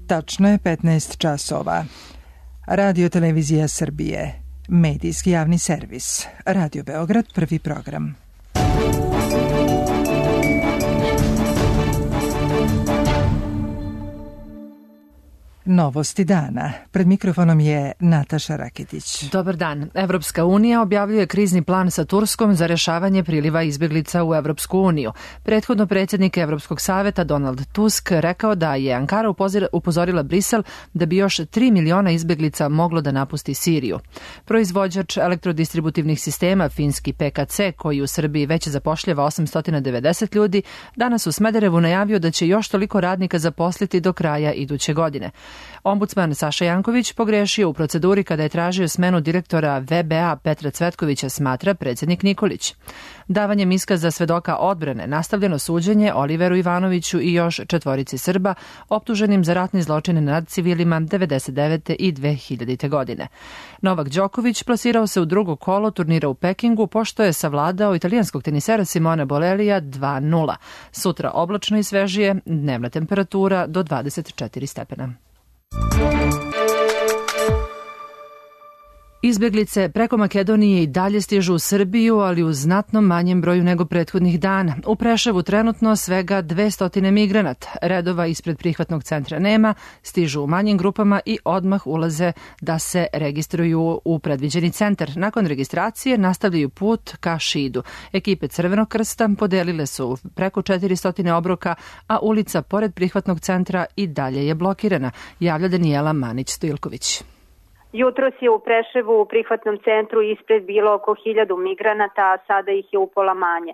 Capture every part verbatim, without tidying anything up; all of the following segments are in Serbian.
Tačno je petnaest časova. Radio Televizija Srbije, medijski javni servis. Radio Beograd, prvi program. Novosti dana. Pred mikrofonom je Nataša Raketić. Dobar dan. Evropska unija objavljuje krizni plan sa Turskom za rešavanje priliva izbjeglica u Evropsku uniju. Prethodno predsjednik Evropskog saveta Donald Tusk rekao da je Ankara upozorila Brisel da bi još tri miliona izbjeglica moglo da napusti Siriju. Proizvođač elektrodistributivnih sistema finski P K C, koji u Srbiji već zapošljava osamsto devedeset ljudi, danas u Smederevu najavio da će još toliko radnika zaposliti do kraja iduće godine. Ombudsman Saša Janković pogrešio u proceduri kada je tražio smenu direktora V B A Petra Cvetkovića, smatra predsjednik Nikolić. Davanjem iskaza svedoka odbrane nastavljeno suđenje Oliveru Ivanoviću i još četvorici Srba optuženim za ratne zločine nad civilima devedeset devete i dve hiljadite. godine. Novak Đoković plasirao se u drugo kolo turnira u Pekingu pošto je savladao italijanskog tenisera Simona Bolelija dva nula. Sutra oblačno i svežije, dnevna temperatura do dvadeset četiri stepena. Izbjeglice preko Makedonije i dalje stižu u Srbiju, ali u znatno manjem broju nego prethodnih dana. U Preševu trenutno svega dvesta migranata. Redova ispred prihvatnog centra nema, stižu u manjim grupama i odmah ulaze da se registruju u predviđeni centar. Nakon registracije nastavljaju put ka Šidu. Ekipe Crvenog krsta podelile su preko četiristo obroka, a ulica pored prihvatnog centra i dalje je blokirana, javlja Danijela Manić-Stojilković. Jutros je u Preševu u prihvatnom centru ispred bilo oko hiljadu migranata, a sada ih je upola manje.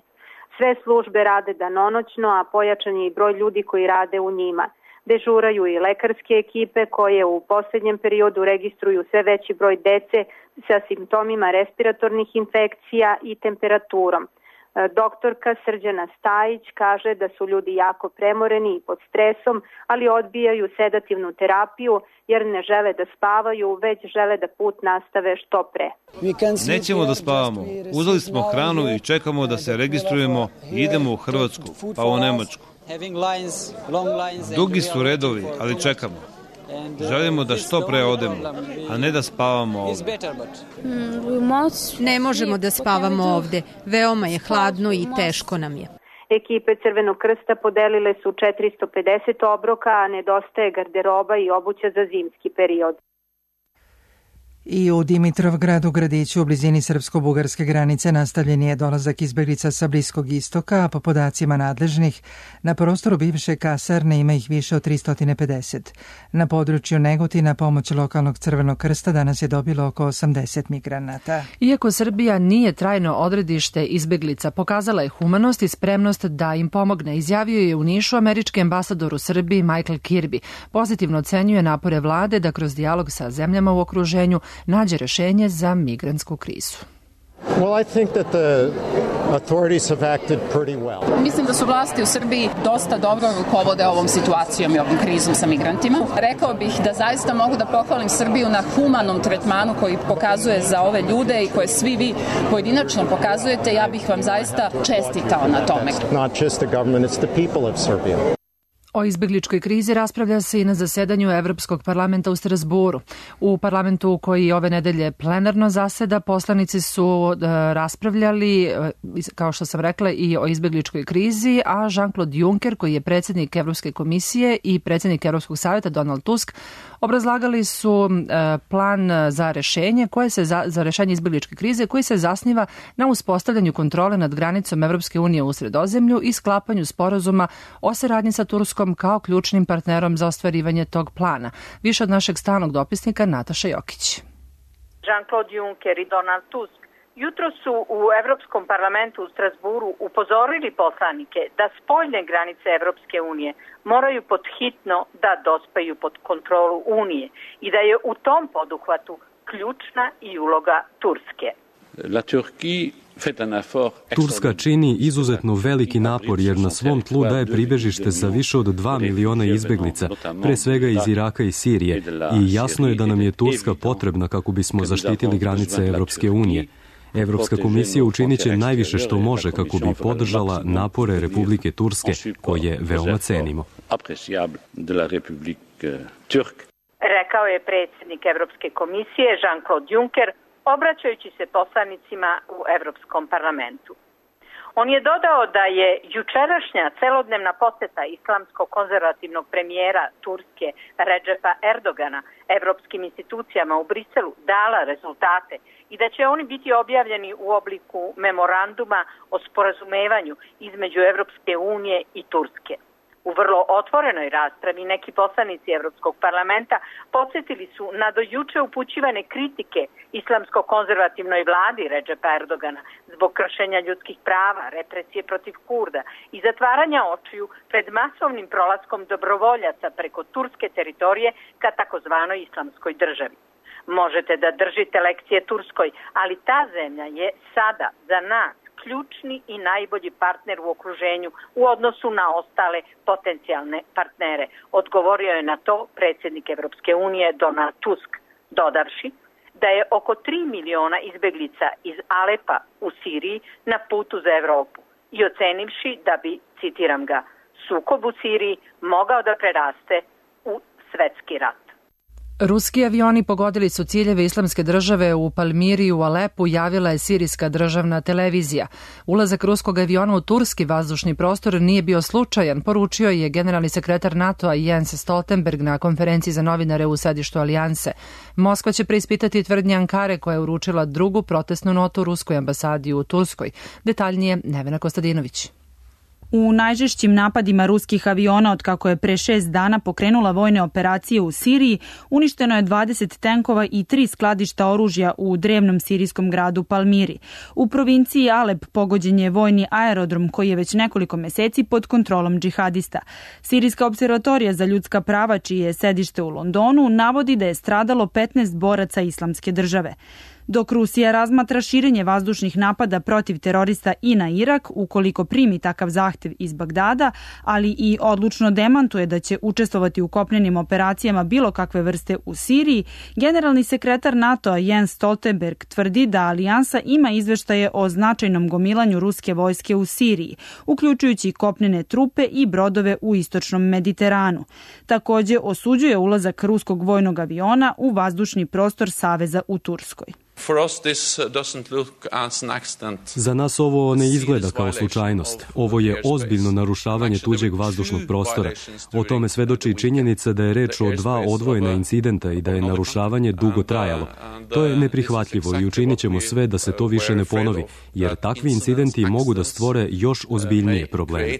Sve službe rade danonoćno, a pojačan je i broj ljudi koji rade u njima. Dežuraju i lekarske ekipe koje u posljednjem periodu registruju sve veći broj dece sa simptomima respiratornih infekcija i temperaturom. Doktorka Srđana Stajić kaže da su ljudi jako premoreni i pod stresom, ali odbijaju sedativnu terapiju jer ne žele da spavaju, već žele da put nastave što pre. Nećemo da spavamo. Uzeli smo hranu i čekamo da se registrujemo i idemo u Hrvatsku, pa u Nemačku. Dugi su redovi, ali čekamo. Želimo da što pre odemo, a ne da spavamo ovdje. Ne možemo da spavamo ovdje. Veoma je hladno i teško nam je. Ekipe Crvenog krsta podelile su četiristo pedeset obroka, a nedostaje garderoba i obuća za zimski period. I u Dimitrovgradu, gradiću u blizini srpsko-bugarske granice, nastavljen je dolazak izbjeglica sa Bliskog istoka, a po podacima nadležnih, na prostoru bivše kasarne ima ih više od tristo pedeset. Na području Negotina pomoć lokalnog Crvenog krsta danas je dobilo oko osamdeset migranata. Iako Srbija nije trajno odredište izbjeglica, pokazala je humanost i spremnost da im pomogne, izjavio je u Nišu američki ambasador u Srbiji Michael Kirby. Pozitivno ocenjuje napore vlade da kroz dijalog sa zemljama u okruženju nađe rešenje za migrantsku krizu. Well, I think that the authorities have acted pretty well. Mislim da su vlasti u Srbiji dosta dobro rukovode ovom situacijom i ovom krizom sa migrantima. Rekao bih da zaista mogu da pohvalim Srbiju na humanom tretmanu koji pokazuje za ove ljude i koje svi vi pojedinačno pokazujete. Ja bih vam zaista čestitao na tome. Not just the government, it's the people of Serbia. O izbjegličkoj krizi raspravlja se i na zasedanju Evropskog parlamenta u Strasburu. U parlamentu koji ove nedelje plenarno zaseda, poslanici su raspravljali, kao što sam rekla, i o izbjegličkoj krizi, a Jean-Claude Juncker, koji je predsjednik Evropske komisije i predsjednik Evropskog savjeta Donald Tusk, obrazlagali su plan za rešenje koje se za, za rešenje izbjegličke krize koji se zasniva na uspostavljanju kontrole nad granicom Evropske unije u Sredozemlju i sklapanju sporazuma o saradnji sa Turskom kao ključnim partnerom za ostvarivanje tog plana. Više od našeg stalnog dopisnika Nataša Jokić. Jean-Claude Juncker i Donald Tusk jutro su u Evropskom parlamentu u Strasburu upozorili poslanike da spoljne granice Evropske unije moraju podhitno da dospaju pod kontrolu Unije i da je u tom poduhvatu ključna i uloga Turske. La Turquie Turska čini izuzetno veliki napor jer na svom tlu daje pribežište za više od dva miliona izbjeglica, pre svega iz Iraka i Sirije, i jasno je da nam je Turska potrebna kako bismo zaštitili granice Evropske unije. Evropska komisija učinit će najviše što može kako bi podržala napore Republike Turske, koje veoma cenimo. Rekao je predsjednik Evropske komisije Jean-Claude Juncker, obraćajući se poslanicima u Evropskom parlamentu. On je dodao da je jučerašnja celodnevna poseta islamsko-konzervativnog premijera Turske Redžepa Erdogana evropskim institucijama u Briselu dala rezultate i da će oni biti objavljeni u obliku memoranduma o sporazumevanju između Evropske unije i Turske. U vrlo otvorenoj raspravi neki poslanici Evropskog parlamenta podsjetili su na do juče upućivane kritike islamsko-konzervativnoj vladi Redžepa Erdogana zbog kršenja ljudskih prava, represije protiv Kurda i zatvaranja očiju pred masovnim prolaskom dobrovoljaca preko turske teritorije ka takozvanoj islamskoj državi. Možete da držite lekcije Turskoj, ali ta zemlja je sada za nas ključni i najbolji partner u okruženju u odnosu na ostale potencijalne partnere. Odgovorio je na to predsjednik Evropske unije Donald Tusk, dodavši da je oko tri miliona izbeglica iz Alepa u Siriji na putu za Evropu i ocenivši da bi, citiram ga, sukob u Siriji mogao da preraste u svetski rat. Ruski avioni pogodili su ciljeve islamske države u Palmiri i u Alepu, javila je sirijska državna televizija. Ulazak ruskog aviona u turski vazdušni prostor nije bio slučajan, poručio je generalni sekretar NATO-a Jens Stoltenberg na konferenciji za novinare u sedištu Alijanse. Moskva će preispitati tvrdnje Ankare koja je uručila drugu protestnu notu ruskoj ambasadi u Turskoj. Detaljnije Nevena Kostadinović. U najžešćim napadima ruskih aviona od kako je pre šest dana pokrenula vojne operacije u Siriji, uništeno je dvadeset tenkova i tri skladišta oružja u drevnom sirijskom gradu Palmiri. U provinciji Alep pogođen je vojni aerodrom koji je već nekoliko meseci pod kontrolom džihadista. Sirijska observatorija za ljudska prava, čije je sedište u Londonu, navodi da je stradalo petnaest boraca islamske države. Dok Rusija razmatra širenje vazdušnih napada protiv terorista i na Irak, ukoliko primi takav zahtev iz Bagdada, ali i odlučno demantuje da će učestvovati u kopnenim operacijama bilo kakve vrste u Siriji, generalni sekretar NATO-a Jens Stoltenberg tvrdi da alijansa ima izveštaje o značajnom gomilanju ruske vojske u Siriji, uključujući kopnene trupe i brodove u istočnom Mediteranu. Takođe osuđuje ulazak ruskog vojnog aviona u vazdušni prostor Saveza u Turskoj. Za nas ovo ne izgleda kao slučajnost. Ovo je ozbiljno narušavanje tuđeg vazdušnog prostora. O tome svedoči činjenica da je reč o dva odvojena incidenta i da je narušavanje dugo trajalo. To je neprihvatljivo i učinit ćemo sve da se to više ne ponovi, jer takvi incidenti mogu da stvore još ozbiljnije probleme.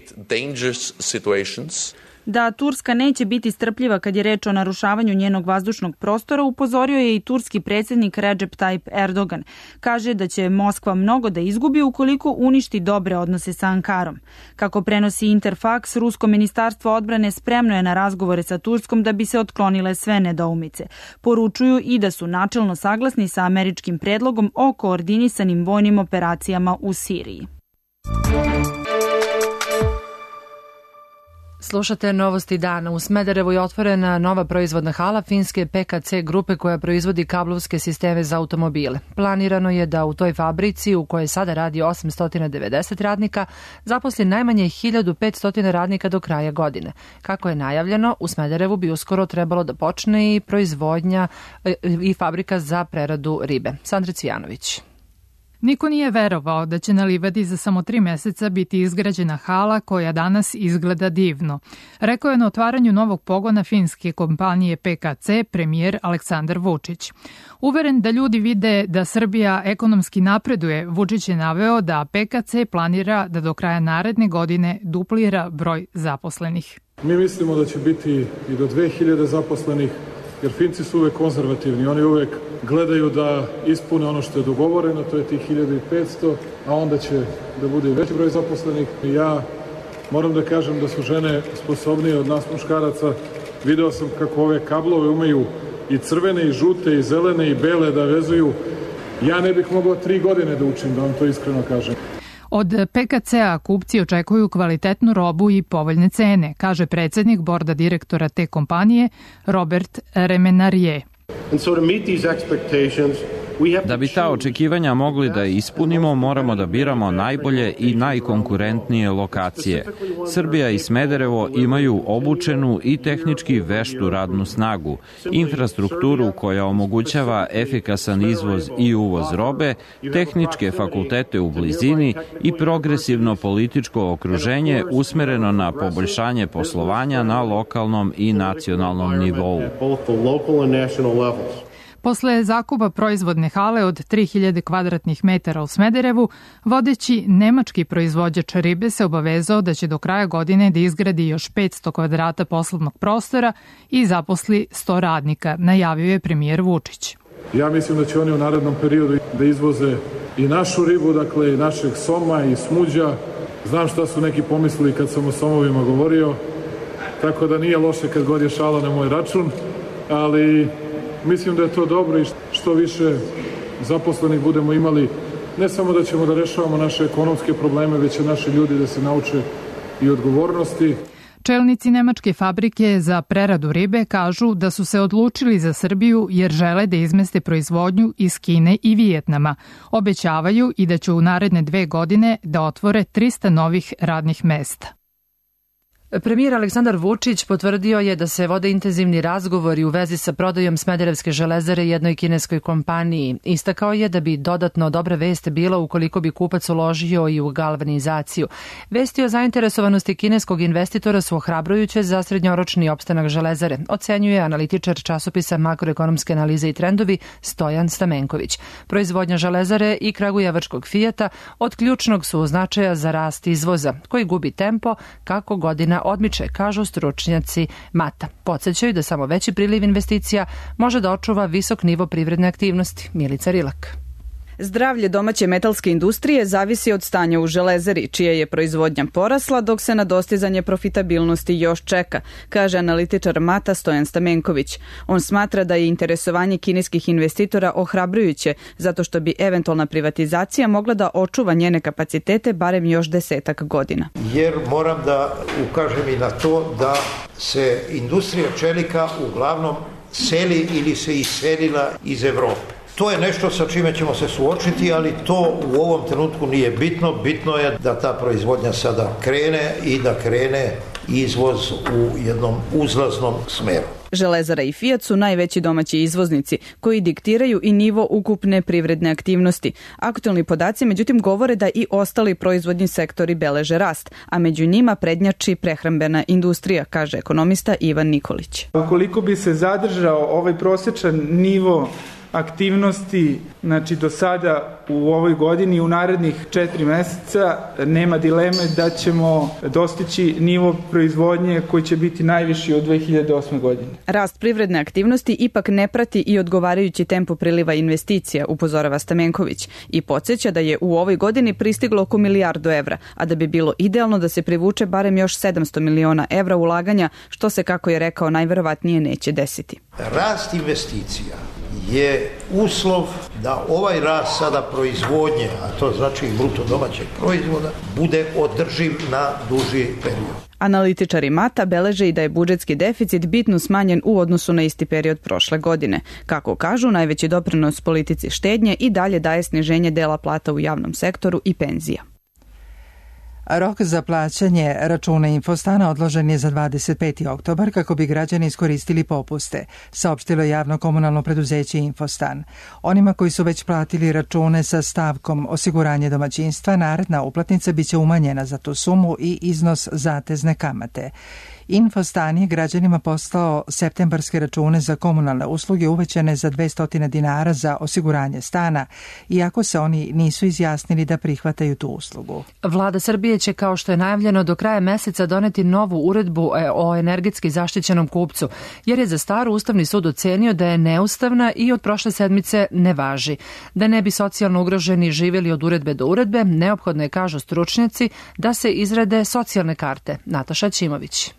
Da Turska neće biti strpljiva kad je reč o narušavanju njenog vazdušnog prostora, upozorio je i turski predsjednik Recep Tayyip Erdogan. Kaže da će Moskva mnogo da izgubi ukoliko uništi dobre odnose sa Ankarom. Kako prenosi Interfax, rusko ministarstvo odbrane spremno je na razgovore sa Turskom da bi se otklonile sve nedoumice. Poručuju i da su načelno saglasni sa američkim predlogom o koordinisanim vojnim operacijama u Siriji. Slušate Novosti dana. U Smederevu je otvorena nova proizvodna hala finske P K C grupe koja proizvodi kablovske sisteme za automobile. Planirano je da u toj fabrici, u kojoj sada radi osamsto devedeset radnika, zaposli najmanje hiljadu petsto radnika do kraja godine. Kako je najavljeno, u Smederevu bi uskoro trebalo da počne i proizvodnja i fabrika za preradu ribe. Sandra Cvijanović. Niko nije verovao da će na livadi za samo tri meseca biti izgrađena hala koja danas izgleda divno. Rekao je na otvaranju novog pogona finske kompanije P K C premijer Aleksandar Vučić. Uveren da ljudi vide da Srbija ekonomski napreduje, Vučić je naveo da P K C planira da do kraja naredne godine duplira broj zaposlenih. Mi mislimo da će biti i do dve hiljade zaposlenih, jer Finci su uvek konzervativni, oni uvek gledaju da ispune ono što je dogovoreno, to je tih hiljadu petsto, a onda će da bude i veći broj zaposlenih. Ja moram da kažem da su žene sposobnije od nas muškaraca. Video sam kako ove kablove umeju i crvene, i žute, i zelene, i bele da vezuju. Ja ne bih mogao tri godine da učim, da vam to iskreno kažem. Od P K C-a kupci očekuju kvalitetnu robu i povoljne cene, kaže predsjednik borda direktora te kompanije Robert Remenarije. And so to meet these expectations, Da bi ta očekivanja mogli da ispunimo, moramo da biramo najbolje i najkonkurentnije lokacije. Srbija i Smederevo imaju obučenu i tehnički veštu radnu snagu, infrastrukturu koja omogućava efikasan izvoz i uvoz robe, tehničke fakultete u blizini i progresivno političko okruženje usmereno na poboljšanje poslovanja na lokalnom i nacionalnom nivou. Posle zakupa proizvodne hale od tri hiljade kvadratnih metara u Smederevu, vodeći nemački proizvođač ribe se obavezao da će do kraja godine da izgradi još petsto kvadrata poslovnog prostora i zaposli sto radnika, najavio je premijer Vučić. Ja mislim da će oni u narednom periodu da izvoze i našu ribu, dakle i našeg soma i smuđa. Znam šta su neki pomislili kad sam o somovima govorio, tako da nije loše kad god je šala na moj račun, ali mislim da je to dobro i što više zaposlenih budemo imali, ne samo da ćemo da rešavamo naše ekonomske probleme, već će naši ljudi da se nauče i odgovornosti. Čelnici nemačke fabrike za preradu ribe kažu da su se odlučili za Srbiju jer žele da izmeste proizvodnju iz Kine i Vijetnama. Obećavaju i da će u naredne dve godine da otvore trista novih radnih mesta. Premijer Aleksandar Vučić potvrdio je da se vode intenzivni razgovori u vezi sa prodajom Smederevske železare jednoj kineskoj kompaniji. Istakao je da bi dodatno dobra vest bila ukoliko bi kupac uložio i u galvanizaciju. Vesti o zainteresovanosti kineskog investitora su ohrabrujuće za srednjoročni opstanak železare, ocenjuje analitičar časopisa Makroekonomske analize i trendovi Stojan Stamenković. Proizvodnja železare i kragujevačkog Fijata od ključnog su značaja za rast izvoza, koji gubi tempo kako godina odmiče, kažu stručnjaci Mata. Podsećaju da samo veći priliv investicija može da očuva visok nivo privredne aktivnosti. Milica Rilak. Zdravlje domaće metalske industrije zavisi od stanja u železari, čija je proizvodnja porasla, dok se na dostizanje profitabilnosti još čeka, kaže analitičar Mata Stojan Stamenković. On smatra da je interesovanje kineskih investitora ohrabrujuće, zato što bi eventualna privatizacija mogla da očuva njene kapacitete barem još desetak godina. Jer moram da ukažem i na to da se industrija čelika uglavnom seli ili se iselila iz Evrope. To je nešto sa čime ćemo se suočiti, ali to u ovom trenutku nije bitno. Bitno je da ta proizvodnja sada krene i da krene izvoz u jednom uzlaznom smeru. Železara i Fijat su najveći domaći izvoznici koji diktiraju i nivo ukupne privredne aktivnosti. Aktualni podaci međutim govore da i ostali proizvodni sektori beleže rast, a među njima prednjači prehrambena industrija, kaže ekonomista Ivan Nikolić. Ukoliko bi se zadržao ovaj prosječan nivo aktivnosti, znači do sada u ovoj godini i u narednih četiri meseca, nema dileme da ćemo dostići nivo proizvodnje koji će biti najviši od dve hiljade osme. godine. Rast privredne aktivnosti ipak ne prati i odgovarajući tempo priliva investicija, upozorava Stamenković, i podsjeća da je u ovoj godini pristiglo oko milijardu evra, a da bi bilo idealno da se privuče barem još sedamsto miliona evra ulaganja, što se, kako je rekao, najverovatnije neće desiti. Rast investicija je uslov da ovaj rast sada proizvodnje, a to znači i bruto domaćeg proizvoda, bude održiv na duži period. Analitičari Mata beleže i da je budžetski deficit bitno smanjen u odnosu na isti period prošle godine. Kako kažu, najveći doprinos politici štednje i dalje daje sniženje dela plata u javnom sektoru i penzija. Rok za plaćanje računa Infostana odložen je za dvadeset peti oktobar kako bi građani iskoristili popuste, saopštilo javno komunalno preduzeće Infostan. Onima koji su već platili račune sa stavkom osiguranje domaćinstva, naredna uplatnica biće umanjena za tu sumu i iznos zatezne kamate. Infostan je građanima poslao septembarske račune za komunalne usluge uvećane za dvesta dinara za osiguranje stana, iako se oni nisu izjasnili da prihvataju tu uslugu. Vlada Srbije će, kao što je najavljeno, do kraja meseca doneti novu uredbu o energetski zaštićenom kupcu, jer je za staru Ustavni sud ocenio da je neustavna i od prošle sedmice ne važi. Da ne bi socijalno ugroženi živjeli od uredbe do uredbe, neophodno je, kažu stručnjaci, da se izrade socijalne karte. Nataša Ćimović.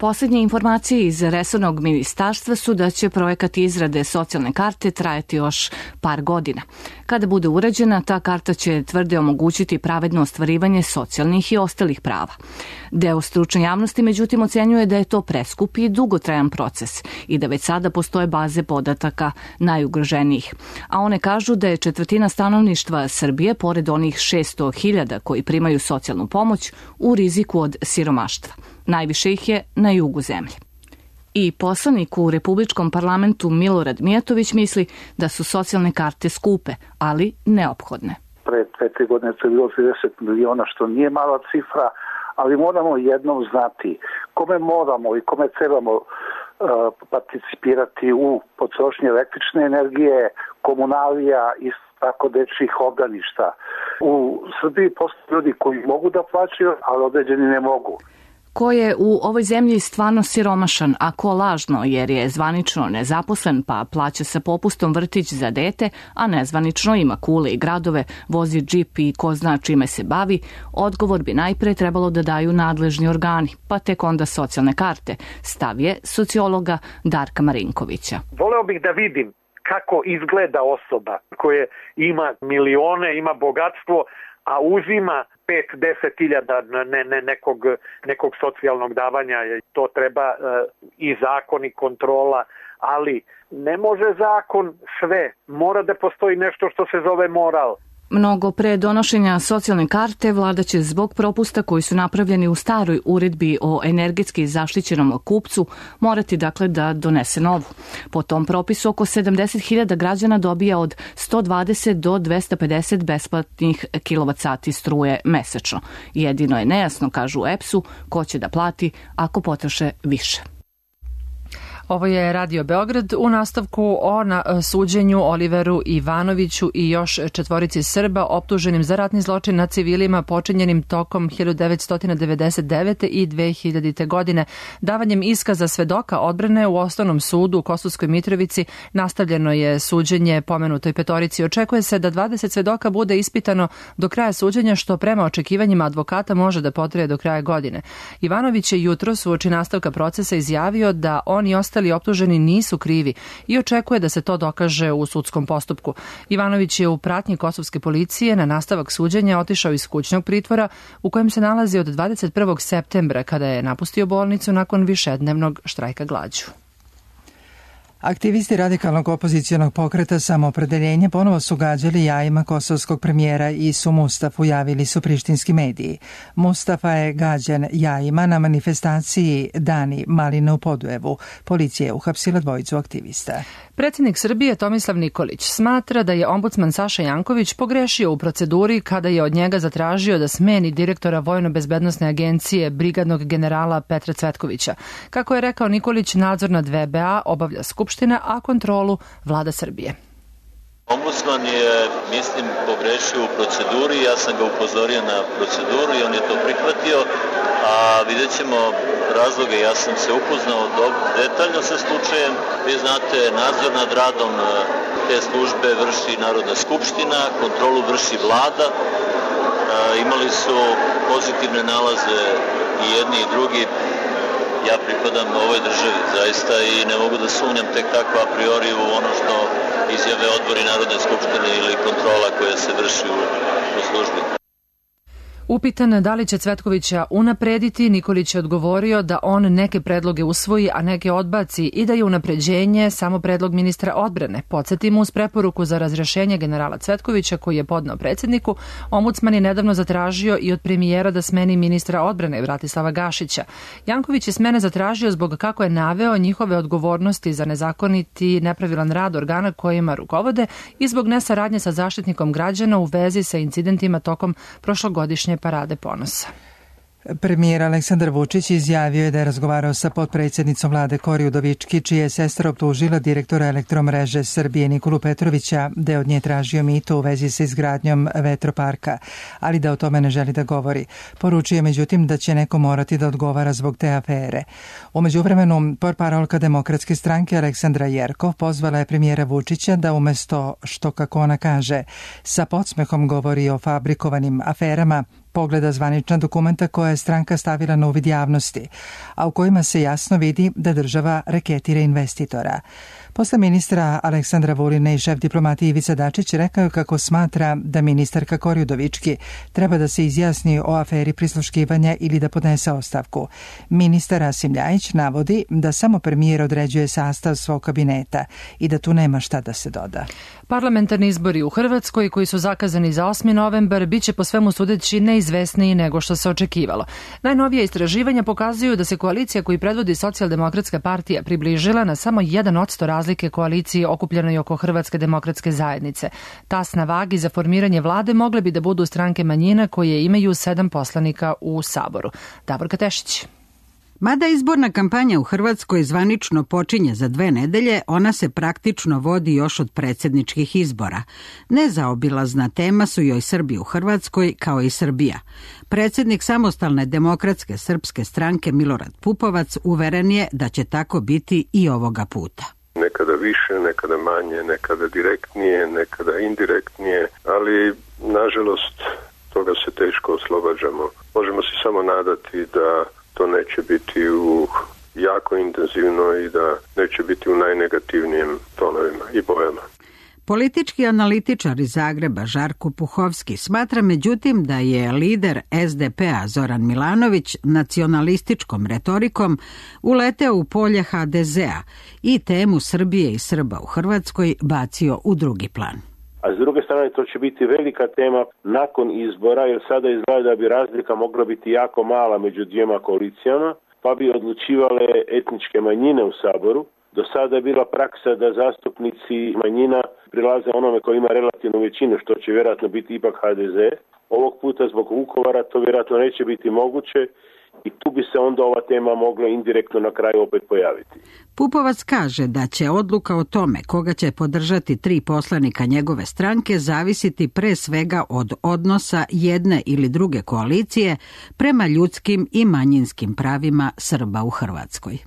Poslednje informacije iz resornog ministarstva su da će projekat izrade socijalne karte trajati još par godina. Kada bude urađena, ta karta će tvrde omogućiti pravedno ostvarivanje socijalnih i ostalih prava. Deo stručne javnosti, međutim, ocenjuje da je to preskup i dugotrajan proces i da već sada postoje baze podataka najugroženijih. A one kažu da je četvrtina stanovništva Srbije, pored onih šesto hiljada koji primaju socijalnu pomoć, u riziku od siromaštva. Najviše ih je na jugu zemlje. I poslanik u Republičkom parlamentu Milorad Mijatović misli da su socijalne karte skupe, ali neophodne. Pre dve, tri godine to je bilo trideset miliona, što nije mala cifra, ali moramo jednom znati kome moramo i kome trebamo uh, participirati u potrošnji električne energije, komunalija i tako dečjih obdaništa. U Srbiji postoje ljudi koji mogu da plaćaju, ali određeni ne mogu. Ko je u ovoj zemlji stvarno siromašan, a ko lažno jer je zvanično nezaposlen pa plaća sa popustom vrtić za dete, a nezvanično ima kule i gradove, vozi džip i ko zna čime se bavi, odgovor bi najpre trebalo da daju nadležni organi, pa tek onda socijalne karte, stav je sociologa Darka Marinkovića. Voleo bih da vidim kako izgleda osoba koja ima milione, ima bogatstvo, a uzima pet do deset hiljada ne, ne, nekog, nekog socijalnog davanja. To treba e, i zakon i kontrola, ali ne može zakon sve. Mora da postoji nešto što se zove moral. Mnogo pre donošenja socijalne karte vlada će zbog propusta koji su napravljeni u staroj uredbi o energetski zaštićenom kupcu morati dakle da donese novu. Po tom propisu oko sedamdeset hiljada građana dobija od sto dvadeset do dvesta pedeset besplatnih kilovat sati struje mesečno. Jedino je nejasno, kažu u E P S-u, ko će da plati ako potroše više. Ovo je Radio Beograd. U nastavku o na suđenju Oliveru Ivanoviću i još četvorici Srba optuženim za ratni zločin nad civilima počinjenim tokom hiljadu devetsto devedeset devete. i dve hiljadite. godine. Davanjem iskaza svedoka odbrane u Osnovnom sudu u Kosovskoj Mitrovici nastavljeno je suđenje pomenutoj petorici. Očekuje se da dvadeset svedoka bude ispitano do kraja suđenja, što prema očekivanjima advokata može da potraje do kraja godine. Ivanović je jutros uoči nastavka procesa izjavio da on i ostali optuženi nisu krivi i očekuje da se to dokaže u sudskom postupku. Ivanović je u pratnji kosovske policije na nastavak suđenja otišao iz kućnog pritvora u kojem se nalazi od dvadeset prvog septembra kada je napustio bolnicu nakon višednevnog štrajka glađu. Aktivisti radikalnog opozicionog pokreta Samoopredeljenje ponovo su gađali jajima kosovskog premijera Isu Mustafu, javili su prištinski mediji. Mustafa je gađan jajima na manifestaciji Dani maline u Podujevu. Policija je uhapsila dvojicu aktivista. Predsjednik Srbije Tomislav Nikolić smatra da je ombudsman Saša Janković pogrešio u proceduri kada je od njega zatražio da smeni direktora Vojno-bezbednosne agencije brigadnog generala Petra Cvetkovića. Kako je rekao Nikolić, nadzor nad V B A obavlja Skupština, a kontrolu vlada Srbije. Ombudsman je, mislim, pogrešio u proceduri, ja sam ga upozorio na proceduru i on je to prihvatio, a vidjet ćemo razloge. Ja sam se upoznao detaljno sa slučajem. Vi znate, nadzor nad radom te službe vrši Narodna skupština, kontrolu vrši vlada. E, imali su pozitivne nalaze i jedni i drugi. Ja pripadam ovoj državi zaista i ne mogu da sumnjam tek tako a priori u ono što izjave odbori Narodne skupštine ili kontrola koja se vrši u, u službi. Upitan da li će Cvetkovića unaprediti, Nikolić je odgovorio da on neke predloge usvoji, a neke odbaci i da je unapređenje samo predlog ministra odbrane. Podsjetimo, uz preporuku za razrešenje generala Cvetkovića koji je podneo predsjedniku, ombudsman je nedavno zatražio i od premijera da smeni ministra odbrane Bratislava Gašića. Janković je smene zatražio zbog, kako je naveo, njihove odgovornosti za nezakoniti i nepravilan rad organa kojima rukovode i zbog nesaradnje sa zaštitnikom građana u vezi sa incidentima tokom prošlogodišnje Parade ponosa. Premijer Aleksandar Vučić izjavio je da je razgovarao sa potpredsjednicom vlade Kori Udovički, čija je sestra optužila direktora Elektromreže Srbije Nikolu Petrovića da je od nje tražio mito u vezi sa izgradnjom vetroparka, ali da o tome ne želi da govori. Poručuje međutim da će neko morati da odgovara zbog te afere. U međuvremenu, portparolka Demokratske stranke Aleksandra Jerkov pozvala je premijera Vučića da umesto što, kako ona kaže, sa podsmehom govori o fabrikovanim aferama, pogleda zvanična dokumenta koja je stranka stavila na uvid javnosti, a u kojima se jasno vidi da država reketira investitora. Posle ministra Aleksandra Vulina i šef diplomatije Ivica Dačić rekao kako smatra da ministarka Kori Udovički treba da se izjasni o aferi prisluškivanja ili da podnese ostavku. Ministar Rasim Ljajić navodi da samo premijer određuje sastav svog kabineta i da tu nema šta da se doda. Parlamentarni izbori u Hrvatskoj koji su zakazani za osmi novembar biće po svemu sudeći neizvesniji nego što se očekivalo. Najnovije istraživanja pokazuju da se koalicija koju predvodi Socijaldemokratska partija približila na samo jedan odsto razlike koalicije okupljenoj oko Hrvatske demokratske zajednice. Tas na vagi za formiranje vlade mogle bi da budu stranke manjina koje imaju sedam poslanika u Saboru. Davorka Tešić. Mada izborna kampanja u Hrvatskoj zvanično počinje za dve nedelje, ona se praktično vodi još od predsjedničkih izbora. Nezaobilazna tema su joj Srbi u Hrvatskoj kao i Srbija. Predsjednik Samostalne demokratske srpske stranke Milorad Pupovac uveren je da će tako biti i ovoga puta. Nekada više, nekada manje, nekada direktnije, nekada indirektnije, ali nažalost toga se teško oslobađamo. Možemo se samo nadati da to neće biti u jako intenzivno i da neće biti u najnegativnijim tonovima i bojama. Politički analitičar iz Zagreba Žarko Puhovski smatra međutim da je lider es de pe-a Zoran Milanović nacionalističkom retorikom uleteo u polje ha de ze-a i temu Srbije i Srba u Hrvatskoj bacio u drugi plan. A s druge strane to će biti velika tema nakon izbora, jer sada izgleda da bi razlika mogla biti jako mala među dvijema koalicijama, pa bi odlučivale etničke manjine u Saboru. Do sada je bila praksa da zastupnici manjina prilaze onome koji ima relativnu većinu, što će vjerojatno biti ipak ha de ze. Ovog puta zbog Vukovara to vjerojatno neće biti moguće i tu bi se onda ova tema mogla indirektno na kraju opet pojaviti. Pupovac kaže da će odluka o tome koga će podržati tri poslanika njegove stranke zavisiti pre svega od odnosa jedne ili druge koalicije prema ljudskim i manjinskim pravima Srba u Hrvatskoj.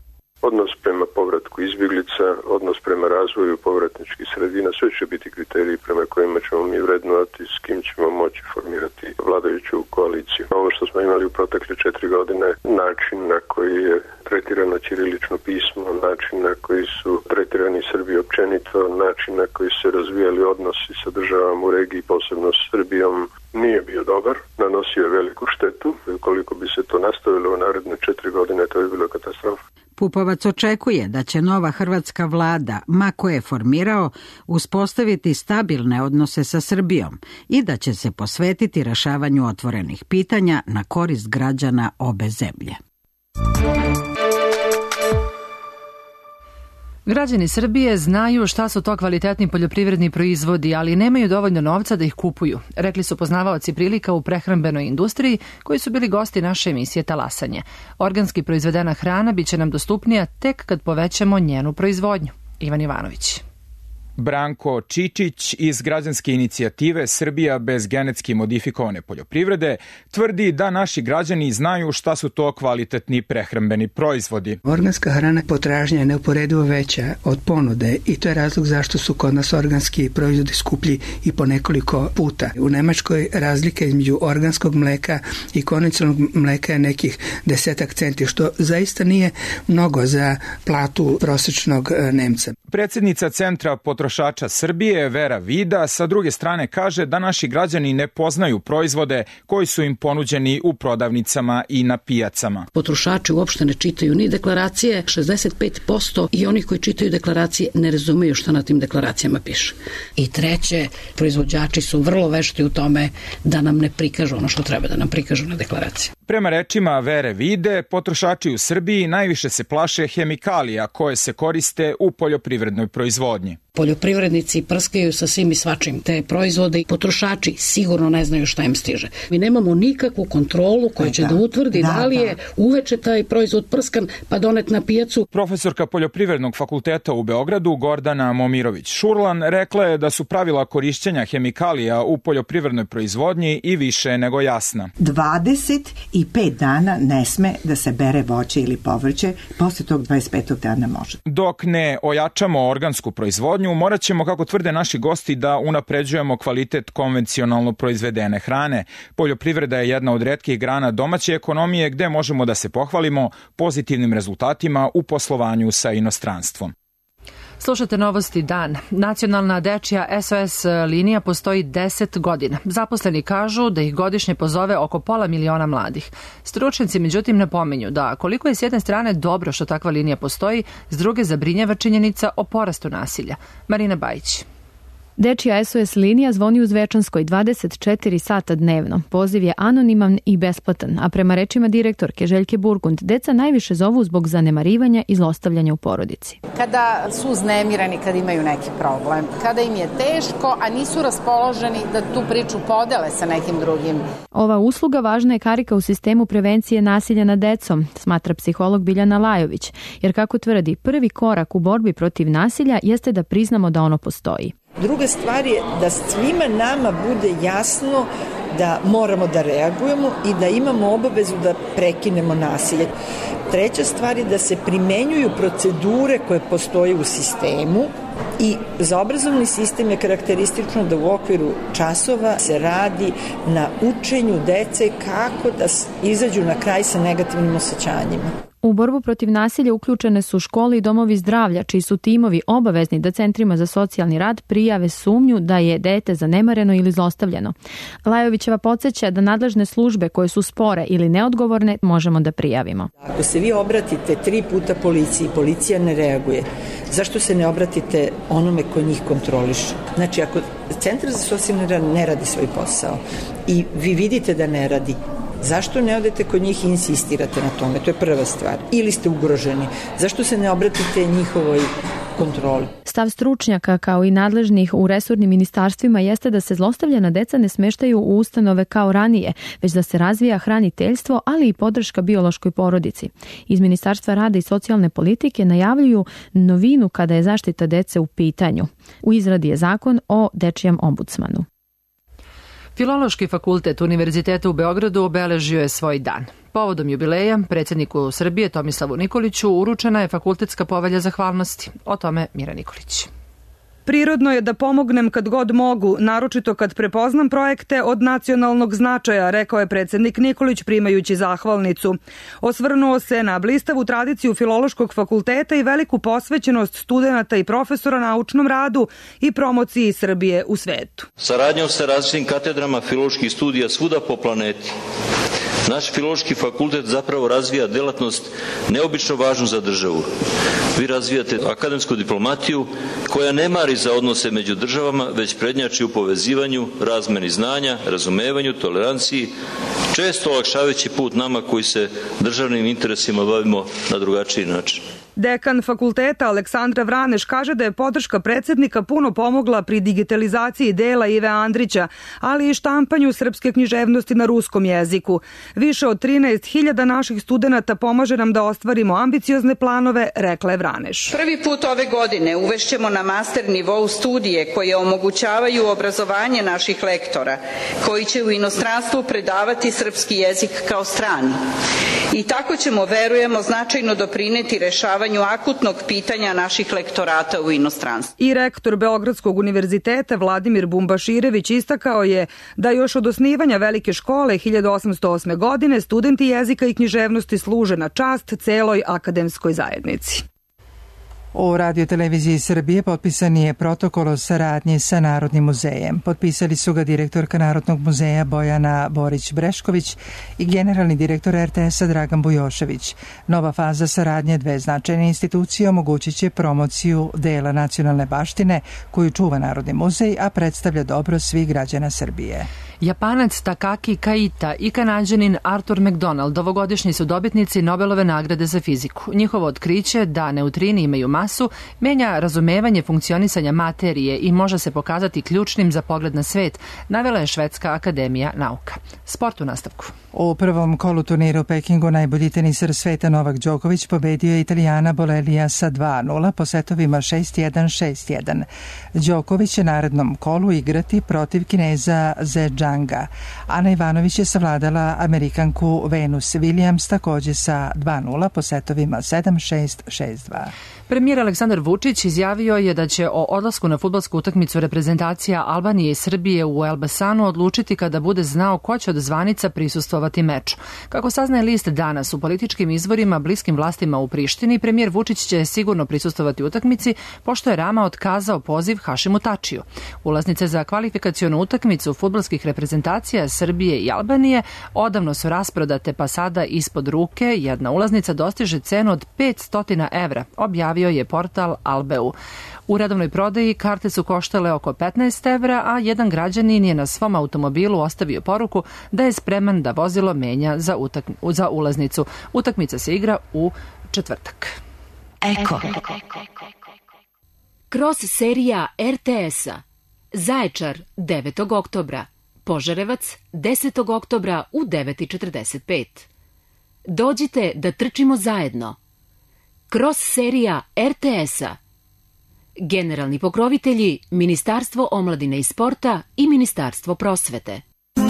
Odnos prema povratku izbjeglica, odnos prema razvoju povratničkih sredina, sve će biti kriteriji prema kojima ćemo mi vrednovati s kim ćemo moći formirati vladajuću koaliciju. Ovo što smo imali u protekle četiri godine, način na koji je tretirano ćirilično pismo, način na koji su tretirani Srbi općenito, način na koji se razvijali odnosi sa državama u regiji, posebno s Srbijom, nije bio dobar, nanosio je veliku štetu. Ukoliko bi se to nastavilo u naredne četiri godine, to je bilo katastrofa. Pupovac očekuje da će nova hrvatska vlada, ma ko je formirao, uspostaviti stabilne odnose sa Srbijom i da će se posvetiti rešavanju otvorenih pitanja na korist građana obe zemlje. Građani Srbije znaju šta su to kvalitetni poljoprivredni proizvodi, ali nemaju dovoljno novca da ih kupuju, rekli su poznavaoci prilika u prehrambenoj industriji koji su bili gosti naše emisije Talasanje. Organski proizvedena hrana biće nam dostupnija tek kad povećamo njenu proizvodnju. Ivan Ivanović. Branko Čičić iz građanske inicijative Srbija bez genetski modifikovane poljoprivrede tvrdi da naši građani znaju šta su to kvalitetni prehrambeni proizvodi. Organska hrana potražnja je neuporedivo veća od ponude i to je razlog zašto su kod nas organski proizvodi skuplji i po nekoliko puta. U Nemačkoj razlika između organskog mleka i konvencionalnog mleka je nekih desetak centi, što zaista nije mnogo za platu prosječnog Nemca. Predsjednica Centra potrošača Srbije Vera Vida sa druge strane kaže da naši građani ne poznaju proizvode koji su im ponuđeni u prodavnicama i na pijacama. Potrošači uopšte ne čitaju ni deklaracije, šezdeset pet posto i oni koji čitaju deklaracije ne razumeju šta na tim deklaracijama piše. I treće, proizvođači su vrlo vešti u tome da nam ne prikažu ono što treba da nam prikažu na deklaraciji. Prema rečima Vere Vide, potrošači u Srbiji najviše se plaše hemikalija koje se koriste u poljoprivrednoj proizvodnji. Poljoprivrednici prskaju sa svim i svačim te proizvode i potrošači sigurno ne znaju šta im stiže. Mi nemamo nikakvu kontrolu koja će da, da utvrdi da, da li je uveče taj proizvod prskan pa donet na pijacu. Profesorka Poljoprivrednog fakulteta u Beogradu Gordana Momirović-Šurlan rekla je da su pravila korišćenja hemikalija u poljoprivrednoj proizvodnji i više nego jasna. dvadeset i pet dana ne sme da se bere voće ili povrće, posle tog dvadeset petog dana može. Dok ne ojačamo organsku proizvodnju, morat ćemo, kako tvrde naši gosti, da unapređujemo kvalitet konvencionalno proizvedene hrane. Poljoprivreda je jedna od retkih grana domaće ekonomije gde možemo da se pohvalimo pozitivnim rezultatima u poslovanju sa inostranstvom. Slušate Novosti dan. Nacionalna dečija S O S linija postoji deset godina. Zaposleni kažu da ih godišnje pozove oko pola miliona mladih. Stručnjaci međutim napominju da koliko je s jedne strane dobro što takva linija postoji, s druge zabrinjava činjenica o porastu nasilja. Marina Bajić. Dečija S O S linija zvoni u Zvečanskoj dvadeset četiri sata dnevno. Poziv je anoniman i besplatan, a prema rečima direktorke Željke Burgund, deca najviše zovu zbog zanemarivanja i zlostavljanja u porodici. Kada su uznemirani, kada imaju neki problem, kada im je teško, a nisu raspoloženi da tu priču podele sa nekim drugim. Ova usluga važna je karika u sistemu prevencije nasilja nad decom, smatra psiholog Biljana Lajović, jer kako tvrdi, prvi korak u borbi protiv nasilja jeste da priznamo da ono postoji. Druga stvar je da svima nama bude jasno da moramo da reagujemo i da imamo obavezu da prekinemo nasilje. Treća stvar je da se primenjuju procedure koje postoje u sistemu i za obrazovni sistem je karakteristično da u okviru časova se radi na učenju dece kako da izađu na kraj sa negativnim osjećanjima. U borbu protiv nasilja uključene su škole i domovi zdravlja, čiji su timovi obavezni da centrima za socijalni rad prijave sumnju da je dete zanemareno ili zlostavljano. Lajovićeva podsjeća da nadležne službe koje su spore ili neodgovorne možemo da prijavimo. Ako se vi obratite tri puta policiji, policija ne reaguje, zašto se ne obratite onome ko njih kontroliše? Znači, ako centar za socijalni rad ne radi svoj posao i vi vidite da ne radi, zašto ne odete kod njih i insistirate na tome? To je prva stvar. Ili ste ugroženi. Zašto se ne obratite njihovoj kontroli? Stav stručnjaka kao i nadležnih u resornim ministarstvima jeste da se zlostavljena deca ne smeštaju u ustanove kao ranije, već da se razvija hraniteljstvo, ali i podrška biološkoj porodici. Iz Ministarstva rada i socijalne politike najavljuju novinu kada je zaštita dece u pitanju. U izradi je zakon o dečijem ombudsmanu. Filološki fakultet Univerziteta u Beogradu obeležio je svoj dan. Povodom jubileja predsjedniku Srbije Tomislavu Nikoliću uručena je fakultetska povelja zahvalnosti. O tome Mira Nikolić. Prirodno je da pomognem kad god mogu, naročito kad prepoznam projekte od nacionalnog značaja, rekao je predsjednik Nikolić primajući zahvalnicu. Osvrnuo se na blistavu tradiciju Filološkog fakulteta i veliku posvećenost studenata i profesora naučnom radu i promociji Srbije u svetu. Saradnjom sa različitim katedrama filoloških studija svuda po planeti, naš Filološki fakultet zapravo razvija delatnost neobično važnu za državu. Vi razvijate akademsku diplomatiju koja ne mari za odnose među državama, već prednjači u povezivanju, razmeni znanja, razumevanju, toleranciji, često olakšavajući put nama koji se državnim interesima bavimo na drugačiji način. Dekan fakulteta Aleksandra Vraneš kaže da je podrška predsjednika puno pomogla pri digitalizaciji dela Ive Andrića, ali i štampanju srpske književnosti na ruskom jeziku. Više od trinaest hiljada naših studenata pomaže nam da ostvarimo ambiciozne planove, rekla je Vraneš. Prvi put ove godine uvešćemo na master nivou studije koje omogućavaju obrazovanje naših lektora, koji će u inostranstvu predavati srpski jezik kao strani. I tako ćemo, verujemo, značajno doprineti rešavanju akutnog pitanja naših lektorata u inostranstvu. I rektor Beogradskog univerziteta Vladimir Bumbaširević istakao je da još od osnivanja velike škole hiljadu osamsto osme. godine studenti jezika i književnosti služe na čast celoj akademskoj zajednici. U radioteleviziji Srbije potpisan je protokol o saradnji sa Narodnim muzejem. Potpisali su ga direktorka Narodnog muzeja Bojana Borić-Brešković i generalni direktor R T S-a Dragan Bujošević. Nova faza saradnje dve značajne institucije omogućit će promociju dela nacionalne baštine koju čuva Narodni muzej, a predstavlja dobro svih građana Srbije. Japanac Takaki Kaita i Kanađanin Arthur McDonald ovogodišnji su dobitnici Nobelove nagrade za fiziku. Njihovo otkriće da neutrini imaju masu, menja razumevanje funkcionisanja materije i može se pokazati ključnim za pogled na svet, navela je Švedska akademija nauka. Sport u nastavku. U prvom kolu turnira u Pekingu najbolji teniser sveta Novak Đoković pobedio je Italijana Bolelija sa dva nula po setovima šest jedan šest jedan. Đoković će narednom kolu igrati protiv Kineza Zhejianga. Ana Ivanović je savladala Amerikanku Venus Williams takođe sa dva nula po setovima sedam šest šest dva. Premijer Aleksandar Vučić izjavio je da će o odlasku na fudbalsku utakmicu reprezentacija Albanije i Srbije u Elbasanu odlučiti kada bude znao ko će od zvanica prisustvovati meču. Kako saznaje list danas, u političkim izvorima bliskim vlastima u Prištini, premijer Vučić će sigurno prisustvovati utakmici, pošto je Rama otkazao poziv Hašimu Tačiju. Ulaznice za kvalifikacionu utakmicu fudbalskih reprezentacija Srbije i Albanije odavno su rasprodate, pa sada ispod ruke jedna ulaznica dostiže cenu od petsto evra, objavio je portal Albeu. U redovnoj prodaji karte su koštale oko petnaest evra, a jedan građanin je na svom automobilu ostavio poruku da je spreman da vozilo menja za, utak- za ulaznicu. Utakmica se igra u četvrtak. Eko. Kroz serija er te es-a. Zaječar devetog oktobra. Požarevac desetog oktobra u devet četrdeset pet. Dođite da trčimo zajedno. Kroz serija er te es-a. Generalni pokrovitelji Ministarstvo omladine i sporta i Ministarstvo prosvete.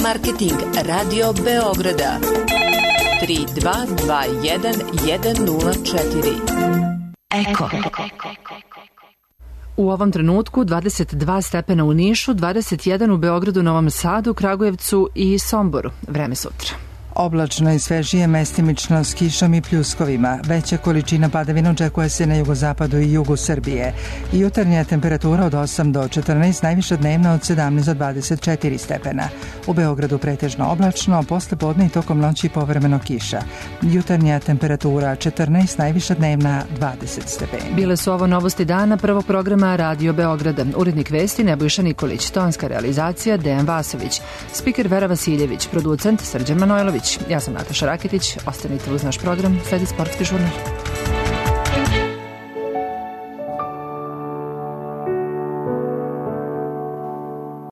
Marketing Radio Beograda tri dva dva jedan jedan nula četiri. Eko. U ovom trenutku dvadeset dva stepena u Nišu, dvadeset jedan u Beogradu, Novom Sadu, Kragujevcu i Somboru. Vreme sutra. Oblačno i svežije, mestimično s kišom i pljuskovima. Veća količina padavina očekuje se na jugozapadu i jugu Srbije. Jutarnja temperatura od osam do četrnaest, najviša dnevna od sedamnaest do dvadeset četiri stepena. U Beogradu pretežno oblačno, posle podne i tokom noći povremeno kiša. Jutarnja temperatura četrnaest, najviša dnevna dvadeset stepeni. Bile su ovo novosti dana prvog programa Radio Beograda. Urednik vesti Nebojša Nikolić, tonska realizacija Dejan Vasović, spiker Vera Vasiljević, producent Srđan Manojlović. Ja sam Nataša Raketić, ostanite uz naš program, sledi sportski žurnal.